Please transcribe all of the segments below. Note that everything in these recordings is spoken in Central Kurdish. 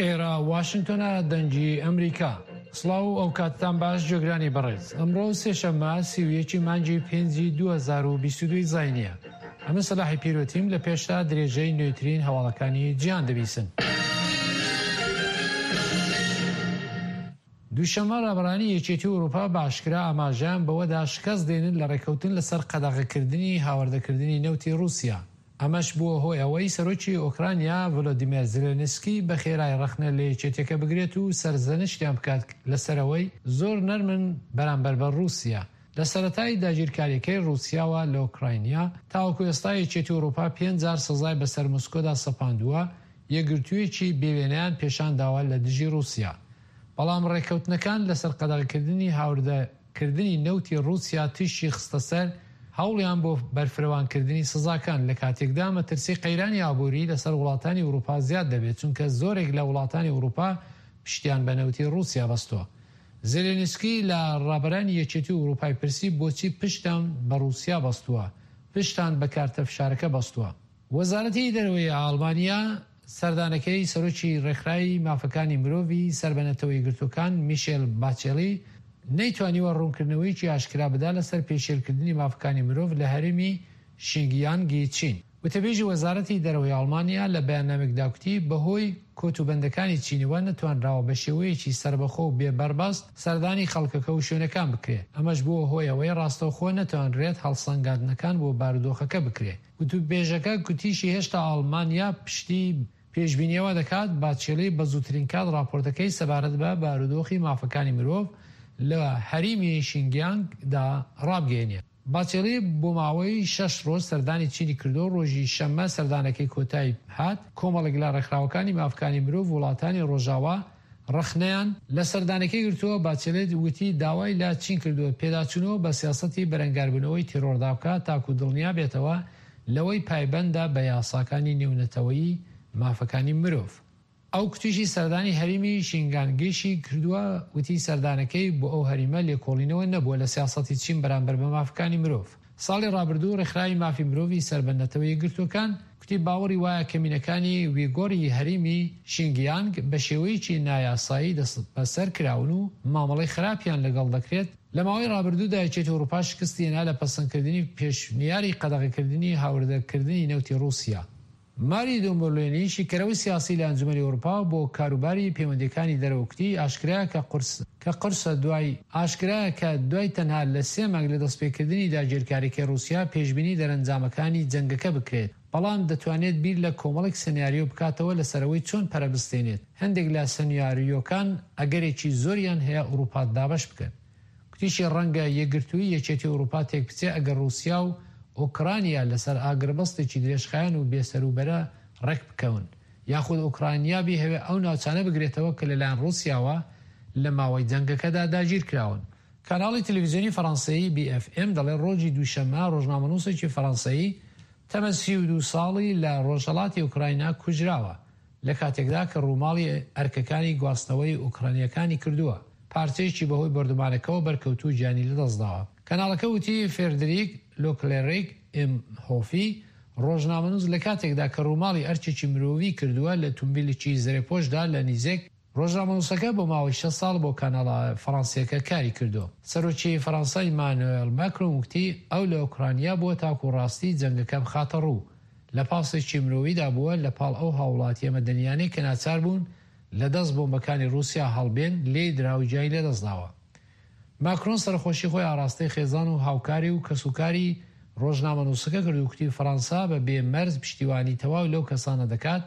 ئێرە واشنتۆنە دەنگی ئەمریکا. سڵاو و ئەوکاتتان باش جێگرانی بەڕێز. ئەمڕۆ سێشەممە 31 مانگی پێنجی 2022 زاینیە. ئەمن سەلاحی پیرۆتیم لە پێشتا درێژەی نوێترین هەواڵەکانی جیهان دەبیسن. دووشەممە ڕابەرانی یەکێتی ئەوروپا بە ئاشکرا ئاماژەیان بەوەدا شکست دێنن لە ڕێککەوتن لەسەر قەدەغەکردنی هاوردەکردنی نەوتی ڕووسیا. ئەمەش بووە هۆی ئەوەی سەرۆکی ئۆکرانیا ڤلۆدیمێر زێلێنسکی بە خێرای ڕەخنە لە یەکێتیەکە بگرێت و سەرزەنشتیان بکات لەسەر ئەوەی زۆر نەرمن بەرامبەر بە ڕووسیا. لە سەرەتای داگیرکارییەکەی ڕووسیاوە لە ئۆکراینیا تاوەکو ئێستا یەکێتی ئەوروپا پێنج جار سزای بەسەر مۆسکۆدا سەپاندووە، یەکگرتوویەکی بێوێنەیان پێشانداوە لە دژی ڕووسیا. بەڵام ڕێککەوتنەکان لەسەر قەدەغەکردنی هاوردەکردنی نەوتی ڕووسیا تیشکی خستە سەر هەوڵیان بۆ بەرفرەوانکردنی سزاکان، لە کاتێکدا مەترسی قەیرانی ئابووری لەسەر وڵاتانی ئوروپا زیاد دەبێت، چونکە زۆرێک لە وڵاتانی ئوروپا پشتیان بە نەوتی ڕووسیا بەستووە. زێلێنسکی لە ڕابەرانی یەکێتی ئوروپای پرسی بۆچی پشتتان بە ڕووسیا بەستووە، پشتتان بە کارتە فشارەکە بەستووە؟ وەزارەتی دەرەوەی ئاڵمانیا سەردانەکەی سەرۆکی ڕێکخراوی مافەکانی مرۆڤی سەر بە نەتەوە یەکگرتووەکان میشێل باچێلی نەیتوانیوە ڕوونکردنەوەیەکی ئاشکرا بدا لەسەر پێشێلکردنی مافەکانی مرۆڤ لە هەرێمی شینگیانگی چین. وتەبێژی وەزارەتی دەرەوەی ئاڵمانیا لە بەیاننامەیەکدا کوتی بەهۆی کۆتوبەندەکانی چینەوە نەتوانراوە بە شێوەیەکی سەربەخۆ و بێ بەربەست سەردانی خەڵکەکە و شوێنەکان بکرێ، ئەمەش بووە هۆی ئەوەی ڕاستەوخۆ نەتوانرێت هەڵسەنگاندنەکان بۆ بارودۆخەکە بکرێ. وتوبێژەکە گوتیشی هێشتا ئاڵمانیا پشتی پێشبینی ئەوە دەکات باچێلی بە زووترین کات ڕاپۆرتەکەی سەبارەت بە بارودۆخی مافەکانی مرۆڤ لە هەریمی شینگیانگ دا ڕابگەیەنێت. باچێلی بۆ ماوەی شەش ڕۆژ سەردانی چینی کردو ڕۆژی شەممە سەردانەکەی کۆتایی هات، کۆمەڵێک لە ڕێکخراوەکانی مافکانی مرۆڤ وڵاتانی ڕۆژاوا ڕەخنەیان لە سەردانەکەی گرتووە، باچێلێت وتی داوای لە چین کردووە پێداچوونەوە بە سیاسەتی بەرەنگاربوونەوەی تیرۆردا بکات تاکو دڵنیا بێتەوە لەوەی پایبەندە بە یاساکانی نێونەتەوەیی مافەکانی مرۆڤ. ئەو کوتیشی سەردانی هەریمی شینگانگیشی کردووە، وتی سەردانەکەی بۆ ئەو هەریمە لێکۆڵینەوە نەبووە لە سیاسەتی چین بەرامبەر بە مافەکانی مرۆڤ. ساڵی ڕابردوو ڕێکخراوی مافی مرۆڤی سەر بە نەتەوە یەکگرتووەکان کوتی باوەڕی وایە کەمینەکانی ویگۆری هەریمی شینگیانگ بە شێوەیەکی نایاسایی دەستبەسەر کراون و مامەڵەی خراپیان لەگەڵ دەکرێت. لە ماوەی ڕابردوودا یەکێتی ئەوروپا شکستی هێنا لە پەسەندکردنی پێشنیاری قەدەغەکردنی هاوردەکردنی نەوتی ڕووسیا. ماری دۆمبۆلێنی، شیکەرەوەی سیاسی لە ئەنجومەنی ئەوروپا بۆ کاروباری پەیوەندییەکانی دەرەوە کوتی، ئاشکرایە کە قورس کە قورسە دوای ئاشکرایە کە دوای تەنها لە سێ مانگ لە دەستپێکردنی داگیرکاریەکەی ڕووسیا پێشبینی دەرەنجامەکانی جەنگەکە بکرێت، بەڵام دەتوانێت بیر لە کۆمەڵێک سناریۆ بکاتەوە لەسەر ئەوەی چۆن پەرە بستێنێت، هەندێک لە سنیاریۆکان ئەگەرێکی زۆریان هەیە ئەوروپا دابەش بکەن. کوتیشی ڕەنگە یەکگرتوویی یەکێتی ئەوروپا تێکبچێ ئەگەر ڕووسیا و ئۆکرانیا لەسەر ئاگربەستێکی درێژخایەن و بێسەروبەرە ڕێکبکەون، یاخود ئۆکرانیا بیهەوێ ئەو ناوچانە بگرێتەوە کە لەلایەن ڕووسیاوە لە ماوەی جەنگەکەدا داگیرکراون. کاناڵی تەلەفزیۆنی فەرەنسەیی بی ئێف ئێم دەڵێ ڕۆژی دووشەممە ڕۆژنامەنووسێکی فەرەنسەیی تەمەن 32 ساڵی لە ڕۆژهەڵاتی ئۆکراینا کوژراوە. لە کاتێکدا کە ڕووماڵی ئەرکەکانی گواستنەوەی ئۆکرانییەکانی کردووە، پارچەیەکی بەهۆی بۆردومانەکەوە بەرکەوتوو گیانی لەدەستداوە. کەناڵەکە وتی، فێردریک لۆکلێریک ئێمهۆفی ڕۆژنامەنووس لە کاتێکدا کە ڕووماڵی ئەرکێکی مرۆڤی کردووە لە تومبیلێکی زرێپۆشدا لە نیزێک ڕۆژنامەنووسەکە بۆ ماوەی شەش ساڵ بۆ کاناڵە فەڕەنسییەکە کاری کردووە. سەرۆکی فەڕەنسا ئیمانوێڵ ماکرۆن وتی، ئەو لە ئۆکرانیا بووە تاکو ڕاستی جەنگەکە بخاتەڕوو. لە پاسێکی مرۆییدا بووە لە پاڵ ئەو هاووڵاتییە مەدەنییانەی کە ناچار بوون لە دەست بۆمبەکانی ڕووسیا هەڵبێن، لێی درا و گیانی لەدەستداوە. ماکرۆن سەرەخۆشی خۆی ئاڕاستەی خێزان و هاوکاری و کەسوکاری ڕۆژنامەنووسەکە کرد و کوتی فەڕەنسا بە بێ مەرج پشتیوانی تەواو لەو کەسانە دەکات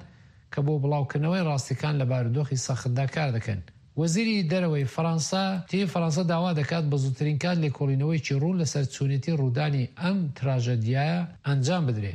کە بۆ بڵاوکردنەوەی ڕاستیەکان لە بارودۆخی سەختدا کار دەکەن. وەزیری دەرەوەی فەڕەنسا وتی، فەڕەنسا داوا دەکات بە زووترین کات لێکۆڵینەوەیەکی ڕوون لەسەر چۆنێتی ڕوودانی ئەم تراژەدیایە ئەنجام بدرێ.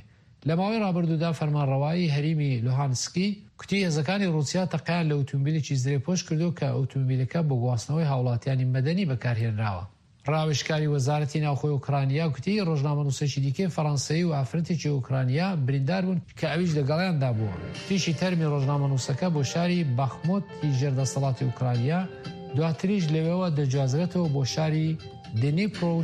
لە ماوەی ڕابردوودا فەرمانڕەوایی هەریمی لوهانسکی کوتی هێزەکانی ڕووسیا تەقەیان لە ئوتومبیلێکی زرێپۆش کردووە کە ئوتومبیلەکە بۆ گواستنەوەی هاوڵاتیانی مەدەنی بەکارهێنراوە. ڕاوێژکاری وەزارەتی ناوخۆی ئۆکرانیا گوتی، ڕۆژنامەنووسێکی دیکەی فەڕەنسەیی و ئافرەتێکی ئۆکرانیا بریندار بوون کە ئەویش لەگەڵیاندا بووە. گوتیشی تەرمی ڕۆژنامەنووسەکە بۆ شاری باخموت ی ژێر دەسەڵاتی ئۆکرانیا، دواتریش لەوێوە دەگوازرێتەوە بۆ شاری دنیپرۆ و.